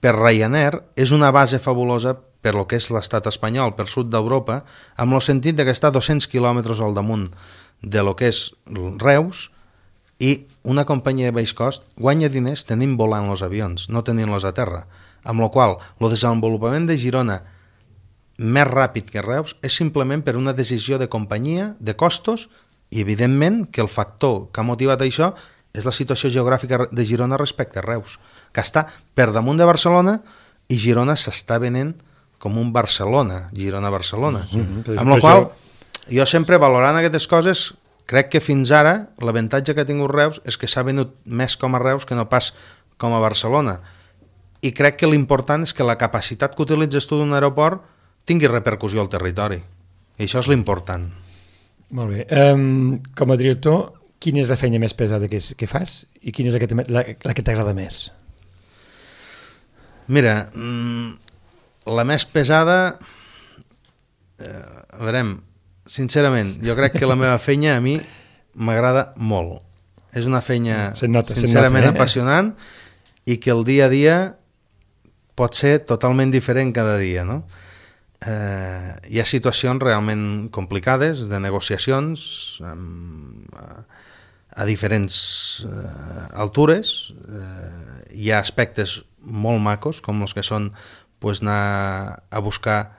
per Ryanair, és una base fabulosa per lo que és l'estat espanyol, per sud d'Europa, amb el sentit de que està a dos-cents quilòmetres al damunt de lo que és Reus, i una companyia de baix cost guanya diners tenint volant els avions, no tenint-los a terra, amb la qual el desenvolupament de Girona més ràpid que Reus és simplement per una decisió de companyia, de costos, i evidentment que el factor que ha motivat això és la situació geogràfica de Girona respecte a Reus, que està per damunt de Barcelona i Girona s'està venent com un Barcelona, Girona-Barcelona. Mhm, Amb la qual jo sempre valorant aquestes coses crec que fins ara l'avantatge que ha tingut Reus és que s'ha venut més com a Reus que no pas com a Barcelona. I crec que l'important és que la capacitat que utilitzes tu d'un aeroport tingui repercussió al territori. I això és l'important. Molt bé. Um, com a director, quina és la feina més pesada que, que fas i quina és la que t'ha- la, la que t'agrada més? Mira, mm, la més pesada... Eh, a veure, sincerament, jo crec que la meva feina a mi m'agrada molt. És una feina Se'n nota, se'n sincerament nota, eh? apassionant i que el dia a dia pot ser totalment diferent cada dia, no? Eh, hi ha situacions realment complicades de negociacions amb, a, a diferents eh, altures. Eh, hi ha aspectes molt macos com els que són pues, anar a buscar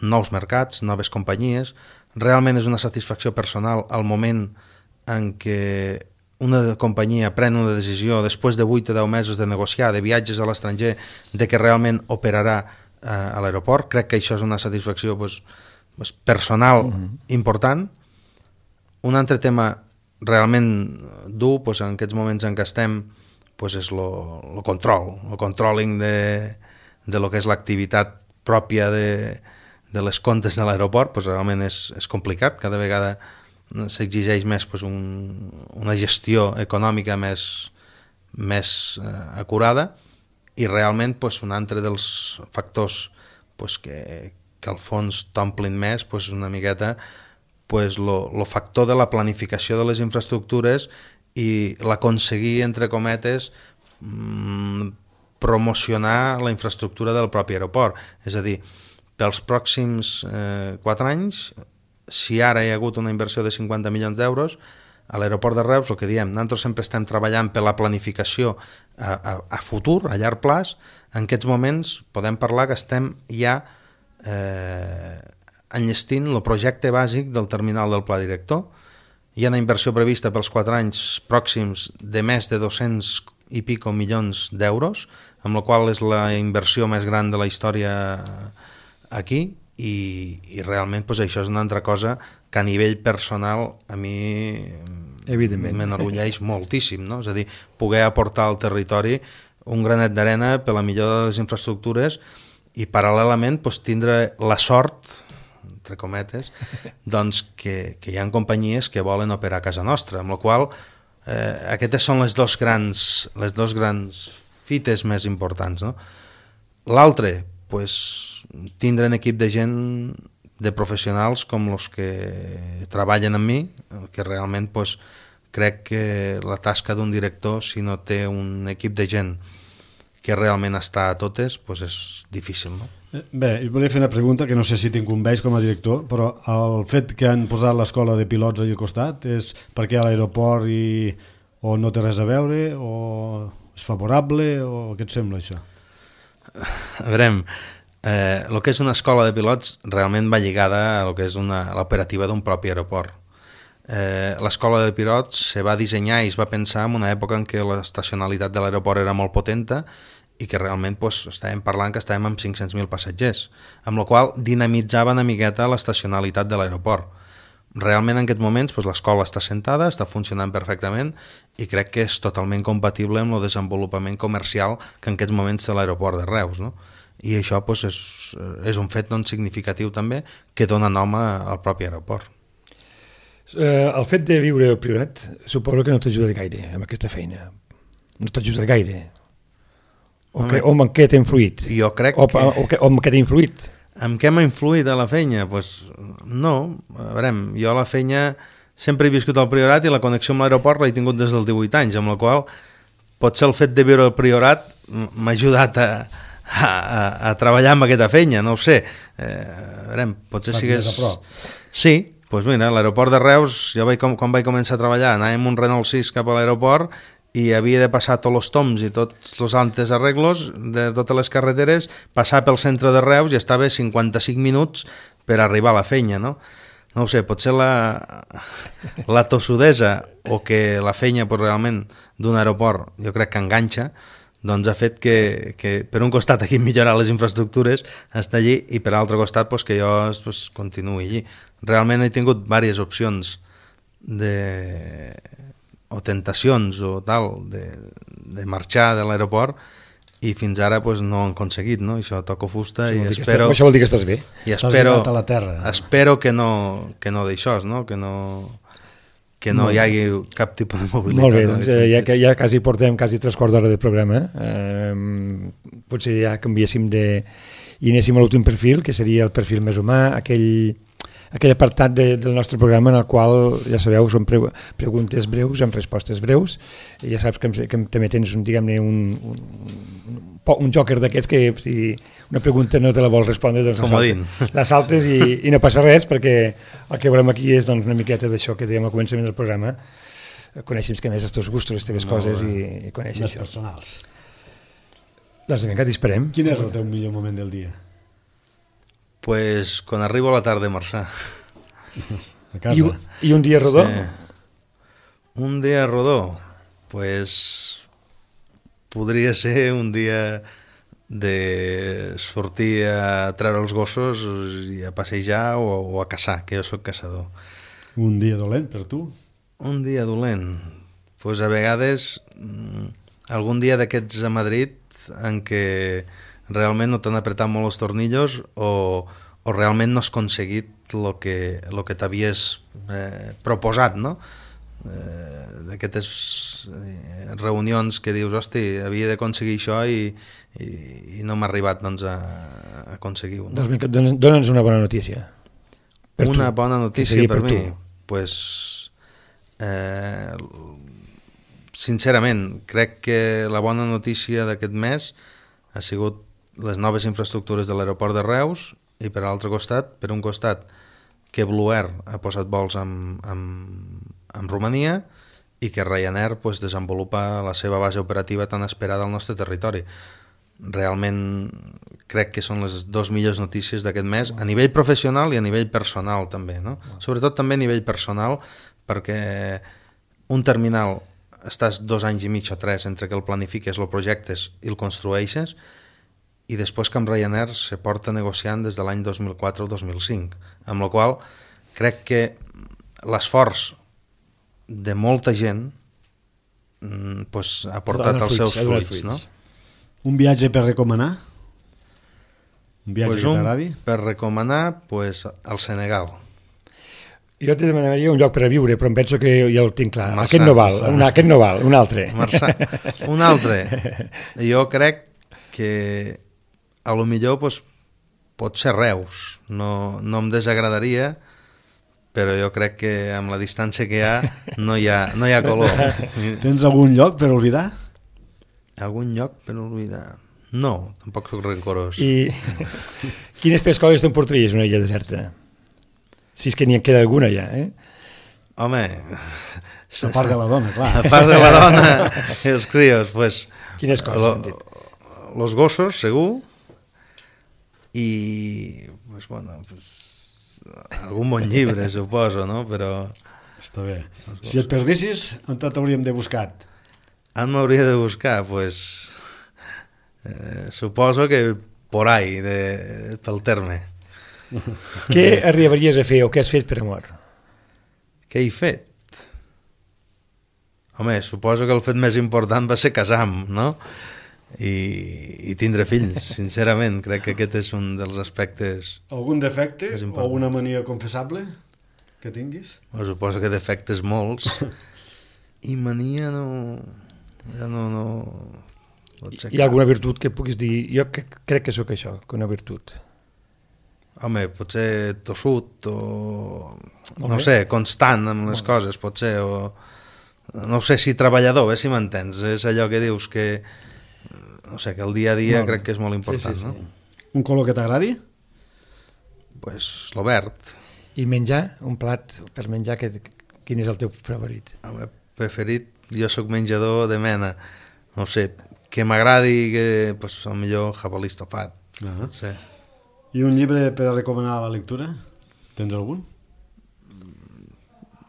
nous mercats, noves companyies. Realment és una satisfacció personal al moment en què una companyia pren una decisió després de vuit o deu mesos de negociar, de viatges a l'estranger, de que realment operarà eh, a l'aeroport. Crec que això és una satisfacció pues, pues, personal mm-hmm. important. Un altre tema realment dur pues, en aquests moments en què estem pues, és el control, el controlling de, de lo que és l'activitat pròpia de de les comptes de l'aeroport, pues, realment és, és complicat, cada vegada s'exigeix més pues, un, una gestió econòmica més, més eh, acurada i realment pues, un altre dels factors pues, que, que al fons t'omplin més pues, una miqueta pues, lo, lo factor de la planificació de les infraestructures i l'aconseguir, entre cometes, mmm, promocionar la infraestructura del propi aeroport. És a dir, pels pròxims eh, quatre anys, si ara hi ha hagut una inversió de cinquanta milions d'euros, a l'aeroport de Reus, el que diem, nosaltres sempre estem treballant per la planificació a, a, a futur, a llarg plaç. En aquests moments podem parlar que estem ja eh, enllestint el projecte bàsic del terminal del pla director. Hi ha una inversió prevista pels quatre anys pròxims de més de dos-cents i pico milions d'euros, amb la qual és la inversió més gran de la història aquí, i, i realment pues, això és una altra cosa que a nivell personal a mi m'enorgulleix moltíssim, no? És a dir, poder aportar al territori un granet d'arena per la millora de les infraestructures i paral·lelament pues, tindre la sort, entre cometes, doncs que, que hi ha companyies que volen operar a casa nostra, amb la qual eh, aquestes són les dos grans, les dos grans fites més importants, no? L'altre, pues, tindre un equip de gent, de professionals com els que treballen amb mi, que realment pues, crec que la tasca d'un director, si no té un equip de gent que realment està a totes, pues és difícil, no? Bé, jo volia fer una pregunta que no sé si t'incumbeix com a director, però el fet que han posat l'escola de pilots allà al costat és perquè a l'aeroport i... o no té res a veure, o és favorable, o què et sembla això? A veure, eh, el que és una escola de pilots realment va lligada a lo que és una, l'operativa d'un propi aeroport. Eh, l'escola de pilots se va dissenyar i es va pensar en una època en què l'estacionalitat de l'aeroport era molt potenta i que realment pues, estàvem parlant que estàvem amb cinc-cents mil passatgers, amb la qual dinamitzava una miqueta l'estacionalitat de l'aeroport. Realment en aquests moments pues, l'escola està sentada, està funcionant perfectament i crec que és totalment compatible amb el desenvolupament comercial que en aquests moments té l'aeroport de Reus, no? I això pues, és, és un fet doncs, significatiu també que dona nom al propi aeroport. Eh, el fet de viure al Priorat suposo que no t'ajuda gaire amb aquesta feina. No t'ajuda gaire. O, que, o en què t'ha influït? Jo crec o, que... O, que, o en què t'ha influït? En què m'ha influït a la feina? Pues, no, a veure, jo a la feina sempre he viscut al Priorat i la connexió amb l'aeroport l'he tingut des dels divuit anys, amb la qual potser el fet de viure al Priorat m'ha ajudat a, a, a, a treballar amb aquesta feina, no ho sé. Eh, a veure, potser sigués... Sí, doncs mira, a l'aeroport de Reus, jo vaig, quan vaig començar a treballar, anàvem un Renault sis cap a l'aeroport i havia de passar tots els toms i tots els altres arreglos de totes les carreteres, passar pel centre de Reus i estava cinquanta-cinc minuts per arribar a la feina, no? No ho sé, potser la, la tossudesa o que la feina pues, realment d'un aeroport jo crec que enganxa, doncs ha fet que, que per un costat aquí millorar les infraestructures està allí i per l'altre costat pues, que jo pues, continuï allí. Realment he tingut diverses opcions de... o tentacions o tal de, de marxar de l'aeroport i fins ara pues, no han aconseguit, no? Això toco fusta i espero... Això vol dir que estàs bé. I estàs espero, a la terra. Espero que no, que no d'això, no? Que no... que no hi hagi cap tipus de mobilitat. Molt bé, doncs eh, ja, ja quasi portem quasi tres quarts d'hora de programa. Eh, potser ja canviéssim de... i anéssim a l'últim perfil, que seria el perfil més humà, aquell, aquell apartat de, del nostre programa en el qual, ja sabeu, són pre preguntes breus amb respostes breus. I ja saps que, que també tens un, diguem-ne, un, un, un joker d'aquests que si una pregunta no te la vols respondre, doncs la saltes, la saltes i, i no passa res, perquè el que volem aquí és doncs, una miqueta d'això que dèiem al començament del programa, conèixer que més els teus gustos, les teves no, coses i, i conèixer les això. Personals. Doncs vinga, t'esperem. Quin és el teu millor moment del dia? Pues quan arribo a la tarda a marxar. A casa. I, I un dia rodó? Sí. Un dia rodó? Pues podria ser un dia de sortir a treure els gossos i a passejar o, o a caçar, que jo soc caçador. Un dia dolent per tu? Un dia dolent? Pues a vegades algun dia d'aquests a Madrid en què realment no t'han apretat molt els tornillos o, o realment no has aconseguit el que, lo que t'havies eh, proposat, no? Eh, d'aquestes eh, reunions que dius, hosti, havia d'aconseguir això i, i, i no m'ha arribat doncs, a, a aconseguir-ho. No? Doncs dona'ns una bona notícia. Per una tu. bona notícia per, per mi? Tu? Pues, eh, sincerament, crec que la bona notícia d'aquest mes ha sigut les noves infraestructures de l'aeroport de Reus i per l'altre costat, per un costat, que Blue Air ha posat vols amb, amb, amb Romania i que Ryanair pues, desenvolupa la seva base operativa tan esperada al nostre territori. Realment crec que són les dues millors notícies d'aquest mes a nivell professional i a nivell personal també, no? Sobretot també a nivell personal perquè un terminal estàs dos anys i mig o tres entre que el planifiques, el projectes i el construeixes i després que amb Ryanair se porta negociant des de l'any dos mil quatre o dos mil cinc, amb la qual crec que l'esforç de molta gent pues, ha portat els seus fruits, no? Un viatge per recomanar? Un viatge pues que un, t'agradi? per recomanar, pues, al Senegal. Jo te demanaria un lloc per a viure, però em penso que ja el tinc clar. Marçà, Aquest no val, Marçà. un, aquest no val, un altre. Marçà. Un altre. Jo crec que a lo millor pues, pot ser Reus. No, no em desagradaria, però jo crec que amb la distància que hi ha no hi ha, no hi ha color. Tens algun lloc per oblidar? Algun lloc per oblidar? No, tampoc soc rencorós. I quines tres coses t'emportaries una illa deserta? Si és que n'hi en queda alguna ja, eh? Home... A part de la dona, clar. A part de la dona i els crios, pues... Quines coses lo, han dit? Los gossos, segur, i pues, bueno, pues, algun bon llibre, suposo, no? Però... Està bé. Si et perdessis, on t'hauríem de buscar? On m'hauria de buscar? Pues, eh, suposo que por ahí, de, pel terme. Què arribaries a fer o què has fet per amor? Què he fet? Home, suposo que el fet més important va ser casar-me, no? I, i tindre fills, sincerament. Crec que aquest és un dels aspectes... Algun defecte És o important. alguna mania confessable que tinguis? Bueno, suposo que defectes molts. I mania no... Ja no... no... no sé Hi ha alguna virtut que puguis dir, jo que, crec que sóc això, que una virtut. Home, potser tossut o... Molt No bé. sé, constant amb les coses, potser, o... No sé si treballador, bé, si m'entens. És allò que dius que... No sé, que el dia a dia Molt bé. crec que és molt important, Sí, sí, sí. no? Un color que t'agradi? Pues l'obert. I menjar, un plat per menjar, que, quin és el teu favorit? Home, preferit, jo sóc menjador de mena. No sé, que m'agradi, que, pues, millor jabalí estofat. Ah. Potser. I un llibre per a recomanar a la lectura? Tens algun?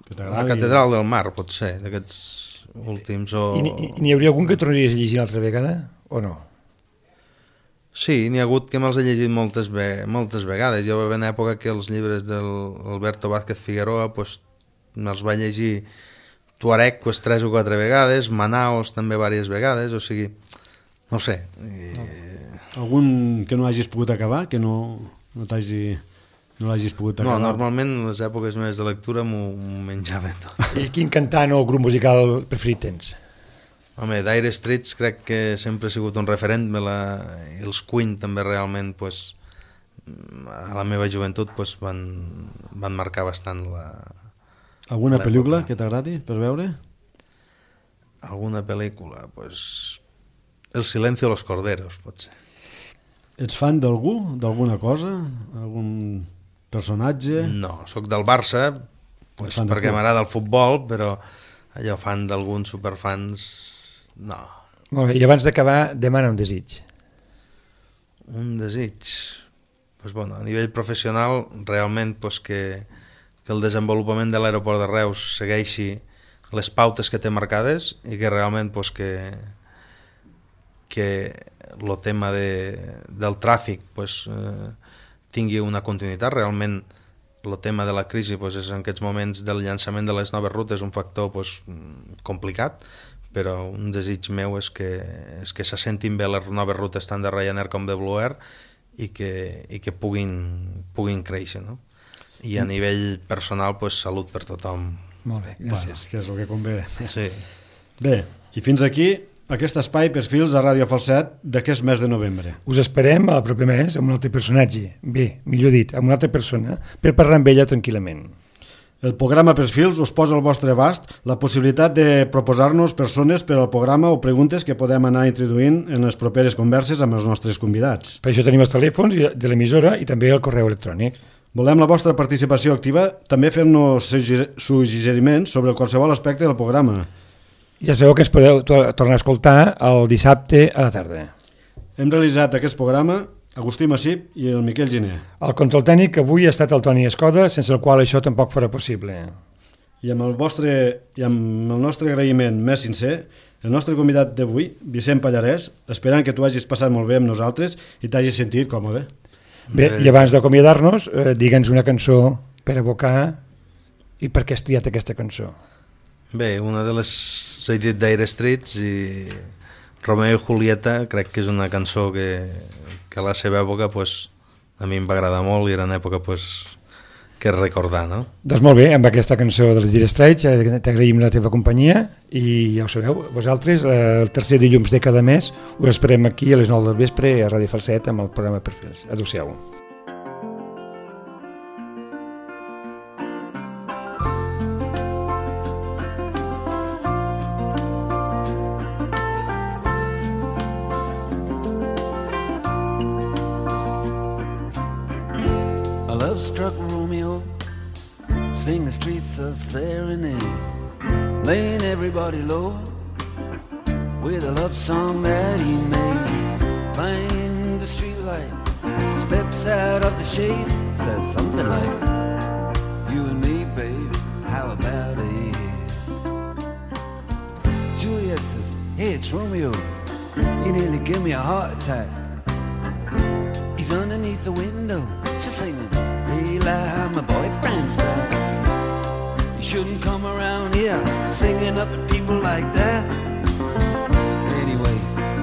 Que La t'agradi? catedral del mar, potser, d'aquests últims. O... I n'hi- i n'hi hauria algun que tornaries a llegir una altra vegada o no? Sí, n'hi ha hagut que me'ls he llegit moltes, ve moltes vegades. Jo va haver una època que els llibres d'Alberto Vázquez Figueroa pues, me'ls va llegir Tuareg pues, tres o quatre vegades, Manaos també diverses vegades, o sigui, no ho sé. I... Algun que no hagis pogut acabar, que no, no t'hagi... No l'hagis pogut No, acabar? normalment les èpoques més de lectura m'ho menjaven tot. I quin cantant o grup musical preferit tens? Home, Dire Straits crec que sempre ha sigut un referent, me la... i els Queen també realment, pues, a la meva joventut, pues, van, van marcar bastant la... Alguna l'època. pel·lícula que t'agradi per veure? Alguna pel·lícula, pues... El silencio de los corderos, potser. Ets fan d'algú? D'alguna cosa? Algun personatge? No, sóc del Barça, pues, Fan de perquè club. m'agrada el futbol, però allò fan d'alguns superfans, no. Molt bé, i abans d'acabar, demana un desig. Un desig, pues, bueno, a nivell professional, realment pues, que, que el desenvolupament de l'aeroport de Reus segueixi les pautes que té marcades i que realment pues, que, que el tema de, del tràfic pues, eh, tingui una continuïtat. Realment el tema de la crisi pues, és en aquests moments del llançament de les noves rutes un factor pues, complicat, però un desig meu és que, és que se sentin bé les noves rutes tant de Ryanair com de Blue Air i que, i que puguin, puguin créixer, no? I a nivell personal pues, salut per tothom. Molt bé, Bueno, gràcies. que és el que convé. Sí. Bé, i fins aquí aquest espai Perfils a Ràdio Falset d'aquest mes de novembre. Us esperem el proper mes amb un altre personatge. Bé, millor dit, amb una altra persona, per parlar amb ella tranquil·lament. El programa Perfils us posa al vostre abast la possibilitat de proposar-nos persones per al programa o preguntes que podem anar introduint en les properes converses amb els nostres convidats. Per això tenim els telèfons de l'emissora i també el correu electrònic. Volem la vostra participació activa, també fent-nos suggeriments sobre qualsevol aspecte del programa. Ja sabeu que ens podeu to tornar a escoltar el dissabte a la tarda. Hem realitzat aquest programa Agustí Massip i el Miquel Giner. El control tècnic avui ha estat el Toni Escoda, sense el qual això tampoc farà possible. I amb el, vostre, i amb el nostre agraïment més sincer, el nostre convidat d'avui, Vicent Pallarès, esperant que tu hagis passat molt bé amb nosaltres i t'hagis sentit còmode. Bé, i abans d'acomiadar-nos, eh, digue'ns una cançó per evocar i per què has triat aquesta cançó. Bé, una de les... S'ha dit Dire Straits i Romeo i Julieta crec que és una cançó que, que a la seva època pues, a mi em va agradar molt i era una època pues, que recordar, no? Doncs molt bé, amb aquesta cançó dels Dire Straits t'agraïm la teva companyia i ja ho sabeu, vosaltres el tercer dilluns de cada mes us esperem aquí a les nou del vespre a Ràdio Falset amb el programa Perfils. Adéu-siau. Struck Romeo, sing the streets a serenade, laying everybody low with a love song that he made. Find the streetlight, steps out of the shade, says something like, you and me, babe, how about it? Juliet says, hey, it's Romeo, you nearly give me a heart attack. He's underneath the window, she's singing, hey, lie, my boyfriend's back. You shouldn't come around here singing up at people like that. Anyway,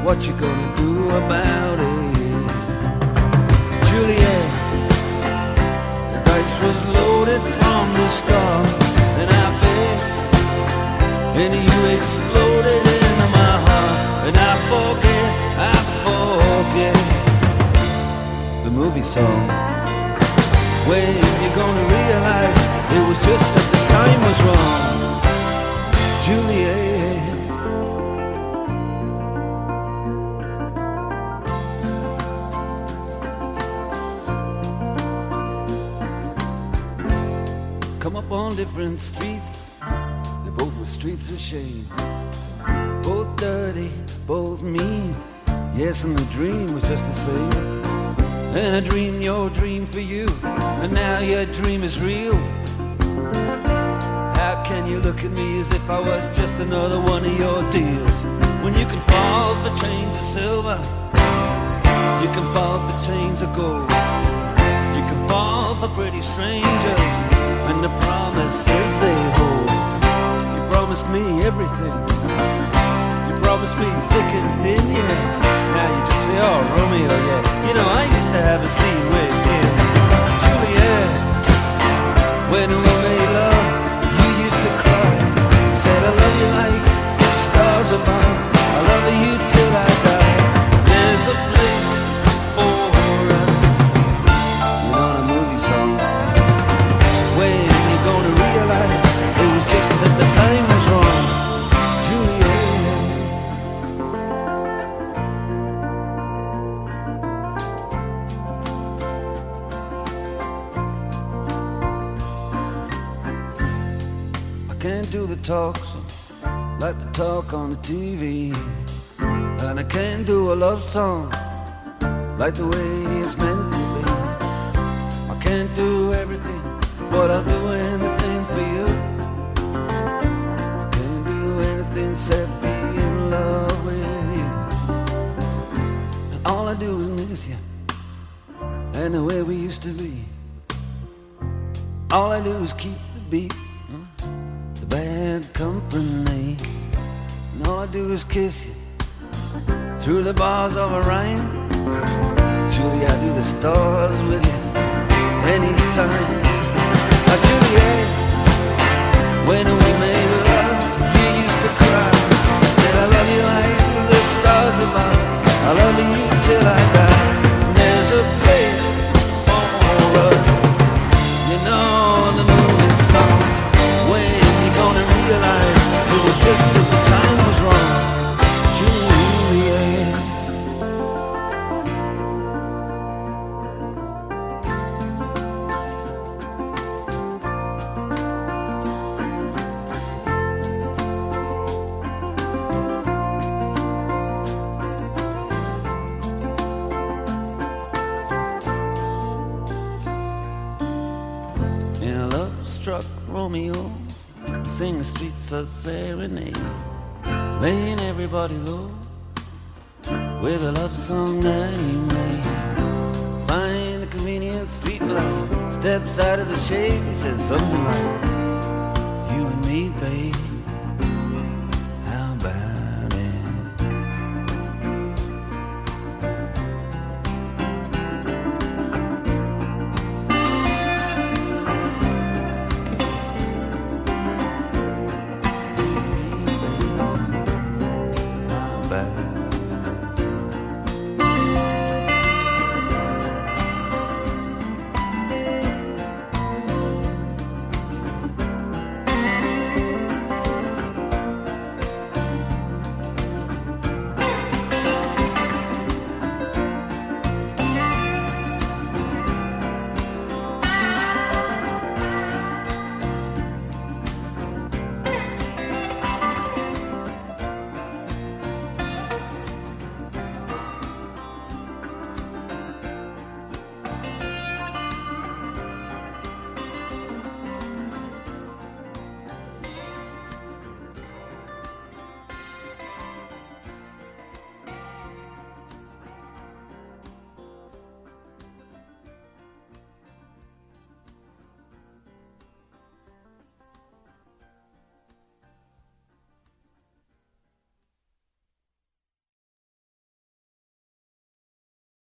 what you gonna do about it? Juliet, the dice was loaded from the start, and I bet, and you exploded into my heart, and I forget, I forget the movie song. When you're gonna realize it was just that the time was wrong, Juliet. Come up on different streets, they both were streets of shame. Both dirty, both mean, yes, and the dream was just the same. And I dreamed your dream for you, and now your dream is real. How can you look at me as if I was just another one of your deals? When you can fall for chains of silver, you can fall for chains of gold, you can fall for pretty strangers, and the promises they hold. You promised me everything, you promised me thick and thin, yeah. Now you just say, oh, Romeo, yeah. You know, I used to have a scene with him. Juliet, when we made love, you used to cry. You said, I love you like the stars above. I love you till I die. There's a place for us. You know the movie song. When you're gonna realize it was just that the time was wrong. Juliet. Can't do the talks like the talk on the T V, and I can't do a love song like the way it's meant to be. I can't do everything, but I'll do anything for you. I can't do anything except be in love with you. And all I do is miss you, and the way we used to be. All I do is keep the beat, bad company, and all I do is kiss you through the bars of a rhyme. Julie, I do the stars with you anytime. Now, Juliet, when we made love, you used to cry. I said I love you like the stars above. I love you till I die. There's a place for us, you know the movie song. When gonna realize it was just that the time was wrong, Juliet. In a love-struck Romeo, sing the streets a serenade, laying everybody low with a love song that he made. Find the convenient street light, steps out of the shade, he says something like, you and me, babe,